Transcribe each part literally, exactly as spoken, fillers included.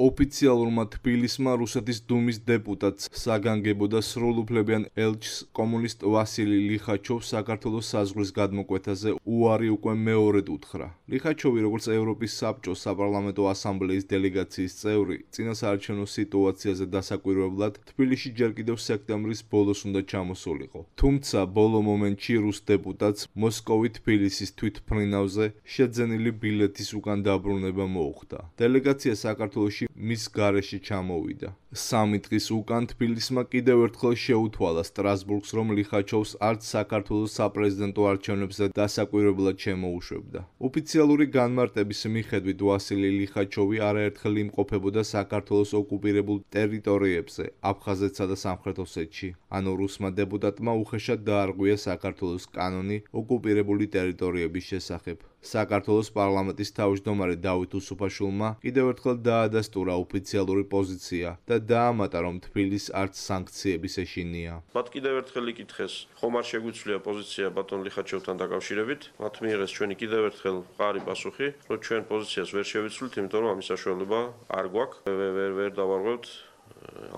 ოფიციალურმა თბილისმა რუსეთის დუმის დეპუტატს საგანგებო და სრულუფლებიან ელჩს კომუნისტ ვასილი ლიხაჩოვს საქართველოს საზღვრის გადმოკვეთაზე უარი უკვე მეორედ უთხრა. ლიხაჩოვი, როგორც ევროპის საბჭოს საპარლამენტო ასამბლეის დელეგაციის წევრი, წინასაარჩევნო სიტუაციაზე დასაკვირვებლად თბილისში ჯერ კიდევ სექტემბრის ბოლოს უნდა ჩამოსულიყო. თუმცა ბოლო მომენტში რუს დეპუტატს მოსკოვი-თბილისის თვითმფრინავზე შეძენილი ბილეთის უკან დაბრუნება მოუხდა. დელეგაცია საქართველოში მის გარეშე ჩამოვიდა. სამი დღის უკან თბილისმა კიდევ ერთხელ შეუთვალა სტრასბურგს, რომ ლიხაჩოვს არც საქართველოს საპრეზიდენტო არჩევნებზე დასაკვირვებლად შემოუშვებდა. ოფიციალური განმარტების მიხედვით ვასილი ლიხაჩოვი არაერთხელ იმყოფებოდა საქართველოს ოკუპირებულ ტერიტორიებზე, აფხაზეთსა და სამხრეთ ოსეთში. ანუ რუსმა დეპუტატმა უხეშად დაარღვია საქართველოს კანონი ოკუპირებული ტერიტორიების შესახებ. საქართველოს პარლამენტის თავმჯდომარე დავით უსუფაშვილმა კიდევ ერთხელ დაადასტურა ოფიციალური პოზიცია და დაამატა, რომ თბილისს არც სანქციების ეშინია. მათ კიდევ ერთხელ იკითხეს, ხომ არ შეგვიცვლია პოზიცია ბატონ ლიხაჩოვთან დაკავშირებით? მათ მიიღეს ჩვენი კიდევ ერთხელ მყარი პასუხი, რომ ჩვენ პოზიციას ვერ შევიცვლით, იმიტომ რომ ამის საშუალება არ გვაქვს, ვერ ვერ დავარღვევთ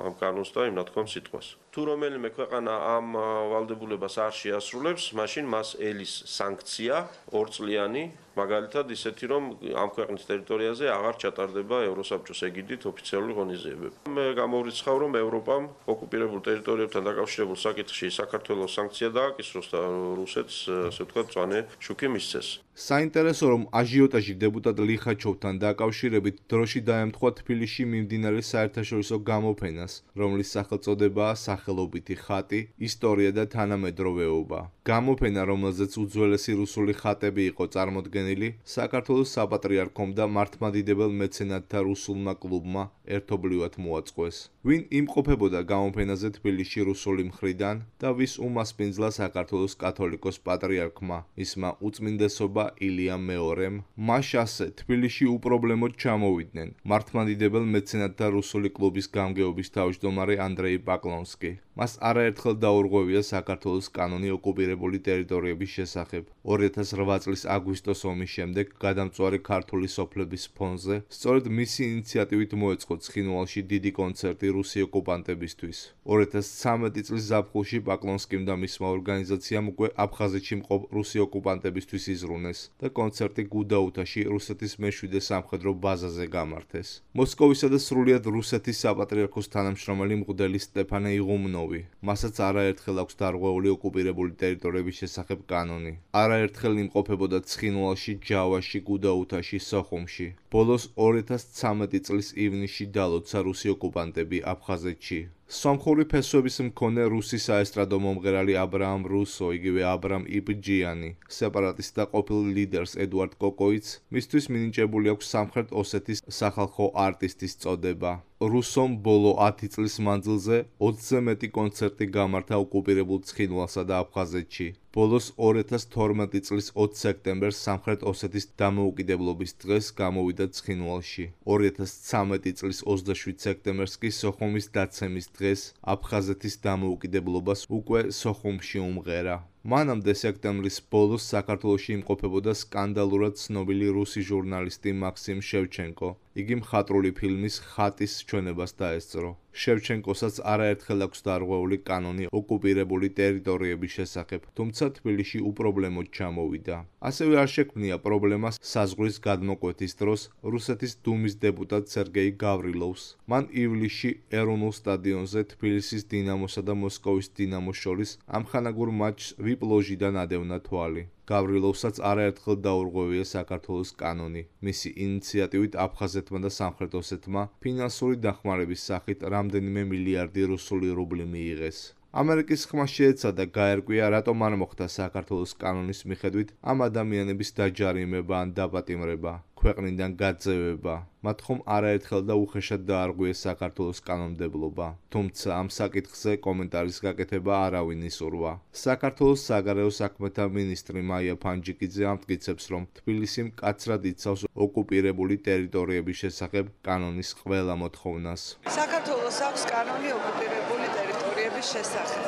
ამ კანონს და იმ ნათქვამ სიტყვას. თუ რომელიმე ქვეყანა ამ ვალდებულებას არ შეასრულებს, მაშინ მას ელის სანქცია ორწლიანი, მაგალითად ისეთი, რომ ამ ქვეყნის ტერიტორიაზე აღარ ჩატარდება ევროსაბჭოს ეგიდით ოფიციალური ღონისძიებები. მე გამოვრიცხავ, რომ ევროპამ ოკუპირებულ ტერიტორიებთან დაკავშირებულ საკითხში საქართველოს სანქცია დააკისროს და რუსეთს, ასე ვთქვათ, მწვანე შუქი მისცეს. საინტერესო, რომ აჟიოტაჟი დეპუტატ ლიხაჩოვთან დაკავშირებით დროში დაემთხვა თბილისში მიმდინარე საერთაშორისო გამოფენას, რომლის სახელწოდებაა სახელობითი ხატი, ისტორია და თანამედროვეობა. გამოფენა, რომელზეც უძველესი რუსული ხატები იყო წარმოდგენილი, საქართველოს საპატრიარქომ და მართლმადიდებელ მეცენატთა რუსულმა კლუბმა ერთობლივად მოაწყვეს. ვინ იმყოფებოდა გამოფენაზე თბილისში რუსული მხრიდან და ვის უმასპინძლა საქართველოს კათოლიკოს პატრიარქმა, მისმა უწმინდესობა ილიამ მეორემ, მას ასე თბილისში უპრობლემოდ ჩამოვიდნენ მართლმადიდებელ მეცენატთა რუსული კლუბის გამგეობის თავმჯდომარე ანდრეი პაკლონსკი. მას არაერთხელ დაურღვევია საქართველოს კანონი ოკუპირებული ტერიტორიების შესახებ. ორი ათას რვა წლის აგვისტოს ომის შემდეგ გადამწვარი ქართული სოფლების ფონზე სწორედ მისი ინიციატივით მოეწყო ცხინვალში დიდი კონცერტი რუსი ოკუპანტებისთვის. ორი ათას ცხრამეტი წლის ზაფხულში პაკლონსკიმ და მისმა ორგანიზაციამ უკვე აფხაზეთში მყოფ რუსი ოკუპანტებისთვის იზრუნეს და კონცერტი გუდაუთაში რუსეთის მეშვიდე სამხედრო ბაზაზე გამართეს. მოსკოვისა და სრულიად რუსეთის საპატრიარქოს თანამშრომელი მღვდელი სტეფანე იღუმნოვი, მასაც არაერთხელ აქვს დარღვეული ოკუპირებული ტერიტორიების შესახებ კანონი. არაერთხელ იმყოფებოდა ცხინვალში, ჯავაში, გუდაუთაში, სოხუმში. ბოლოს ორი ათას ცხრამეტი წლის ივნისში დალოცა რუსი ოკუპანტები აფხაზეთში. სომხური ფესვების მქონე რუსი საესტრადო მომღერალი აბრაამ რუსო, იგივე აბრამ იბჯიანი, სეპარატისტთა ყოფილ ლიდერს ედუარდ კოკოიც, მისთვის მინიჭებული აქვს სამხრეთ ოსეთის სახალხო არტისტის წოდება. რუსომ ბოლო ათი წლის მანძილზე ოცზე მეტი კონცერტი გამართა ოკუპირებულ ცხინვალსა და აფხაზეთში. ბოლოს ორი ათას თორმეტი წლის ოც სექტემბერს სამხრეთ ოსეთის დამოუკიდებლობის დღეს გამოვიდა ცხინვალში. ორი ათას ცხრამეტი წლის ოცდაშვიდ სექტემბერს კი სოხუმის დაცემის დღეს აფხაზეთის დამოუკიდებლობას უკვე სოხუმში უმღერა. მანამდე სექტემბრის ბოლოს საქართველოში იმყოფებოდა სკანდალურად ცნობილი რუსი ჟურნალისტი მაქსიმ შევჩენკო. იგი მხატვრული ფილმის ხატის ჩვენებას დაესწრო. შევჩენკოსაც არაერთხელ აქვს დარღვეული კანონი ოკუპირებული ტერიტორიების შესახებ, თუმცა თბილისში უპრობლემოდ ჩამოვიდა. ასევე არ შექმნია პრობლემა საზღვრის გადმოკვეთის დროს რუსეთის დუმის დეპუტატ სერგეი გავრილოვს. მან ივლისში ეროვნულ სტადიონზე თბილისის დინამოსა და მოსკოვის დინამოს შორის ამხანაგურ მატჩს ვიპ ლოჟიდან ადევნა თვალი. გავრილოვსაც არაერთხელ დაურღვევია საქართველოს კანონი. მისი ინიციატივით აფხაზეთმა და სამხრეთ ოსეთმა ფინანსური დახმარების სახით რამდენიმე მილიარდი რუსული რუბლი მიიღეს. ამერიკის ხმა შეეცადა გაერკვია, რატომ არ მოხდა საქართველოს კანონის მიხედვით ამ ადამიანების დაჯარიმება ან დაპატიმრება, ქვეყნიდან გაძევება. მათ ხომ არაერთხელ და უხეშად დაარღვიეს საქართველოს კანონმდებლობა. თუმცა ამ საკითხზე კომენტარის გაკეთება არავინ ისურვა. საქართველოს საგარეო საქმეთა მინისტრი მაია ფანჯიკიძე ამტკიცებს, რომ თბილისი მკაცრად იცავს ოკუპირებული ტერიტორიების შესახებ კანონის ყველა მოთხოვნას. საქართველოს აქვს კანონი ოკუპირებული ტერიტორიების შესახებ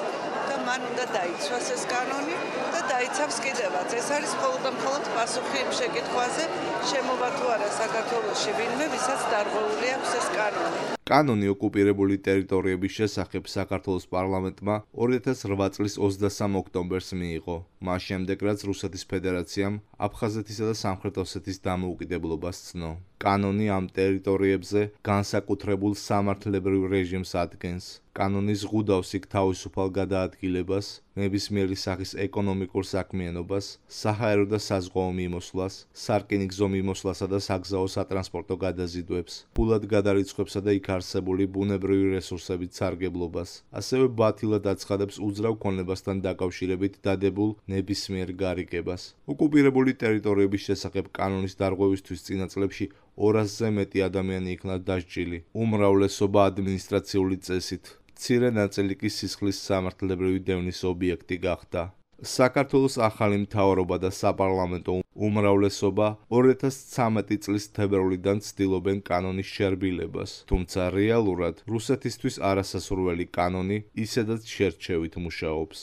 და მან უნდა დაიცვას ეს კანონი და დაიცავს კიდევაც. ეს არის მხოლოდ და მხოლოდ პასუხი იმ შეკითხვაზე, შემოვა თუ არა საქართველოში ვინმე, ვისაც დარღვეული აქვს ეს კანონი. კანონი ოკუპირებული ტერიტორიების შესახებ საქართველოს პარლამენტმა ორი ათას ოთხ წლის ოცდასამ ოქტომბერს მიიღო, მას შემდეგ რაც რუსეთის ფედერაციამ აფხაზეთისა და სამხრეთ ოსეთის დამოუკიდებლობას ცნო. კანონი ამ ტერიტორიებზე განსაკუთრებულ სამართლებრივ რეჟიმს ადგენს. კანონი ზღუდავს იქ თავისუფალ გადაადგილებას, ნებისმიერი სახის ეკონომიკურ საქმიანობას, საჰაერო და საზღვაო მიმოსვლას, სარკინიგზო მიმოსვლასა და საგზაო სატრანსპორტო გადაზიდვებს, ფულად გადარიცხვებსა და იქ არსებული ბუნებრივი რესურსებით სარგებლობას, ასევე ბათილად აცხადებს უძრავ ქონებასთან დაკავშირებით დადებულ ნებისმიერ გარიგებას. ოკუპირებული ტერიტორიების შესახებ კანონის დარღვევისთვის წინა წლებში ორასზე მეტი ადამიანი იქნა დასჯილი, უმრავლესობა ადმინისტრაციული წესით. მცირე ნაწილი კი სისხლის სამართლებრივი დევნის ობიექტი გახდა. საქართველოს ახალი მთავრობა და საპარლამენტო უმრავლესობა ორი ათას ცხრამეტი წლის თებერვლიდან ცდილობენ კანონის შერბილებას, თუმცა რეალურად რუსეთისთვის არასასურველი კანონი ისედაც შერჩევით მუშაობს.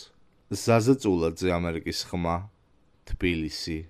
ზაზა წულაძე, ამერიკის ხმა, თბილისი.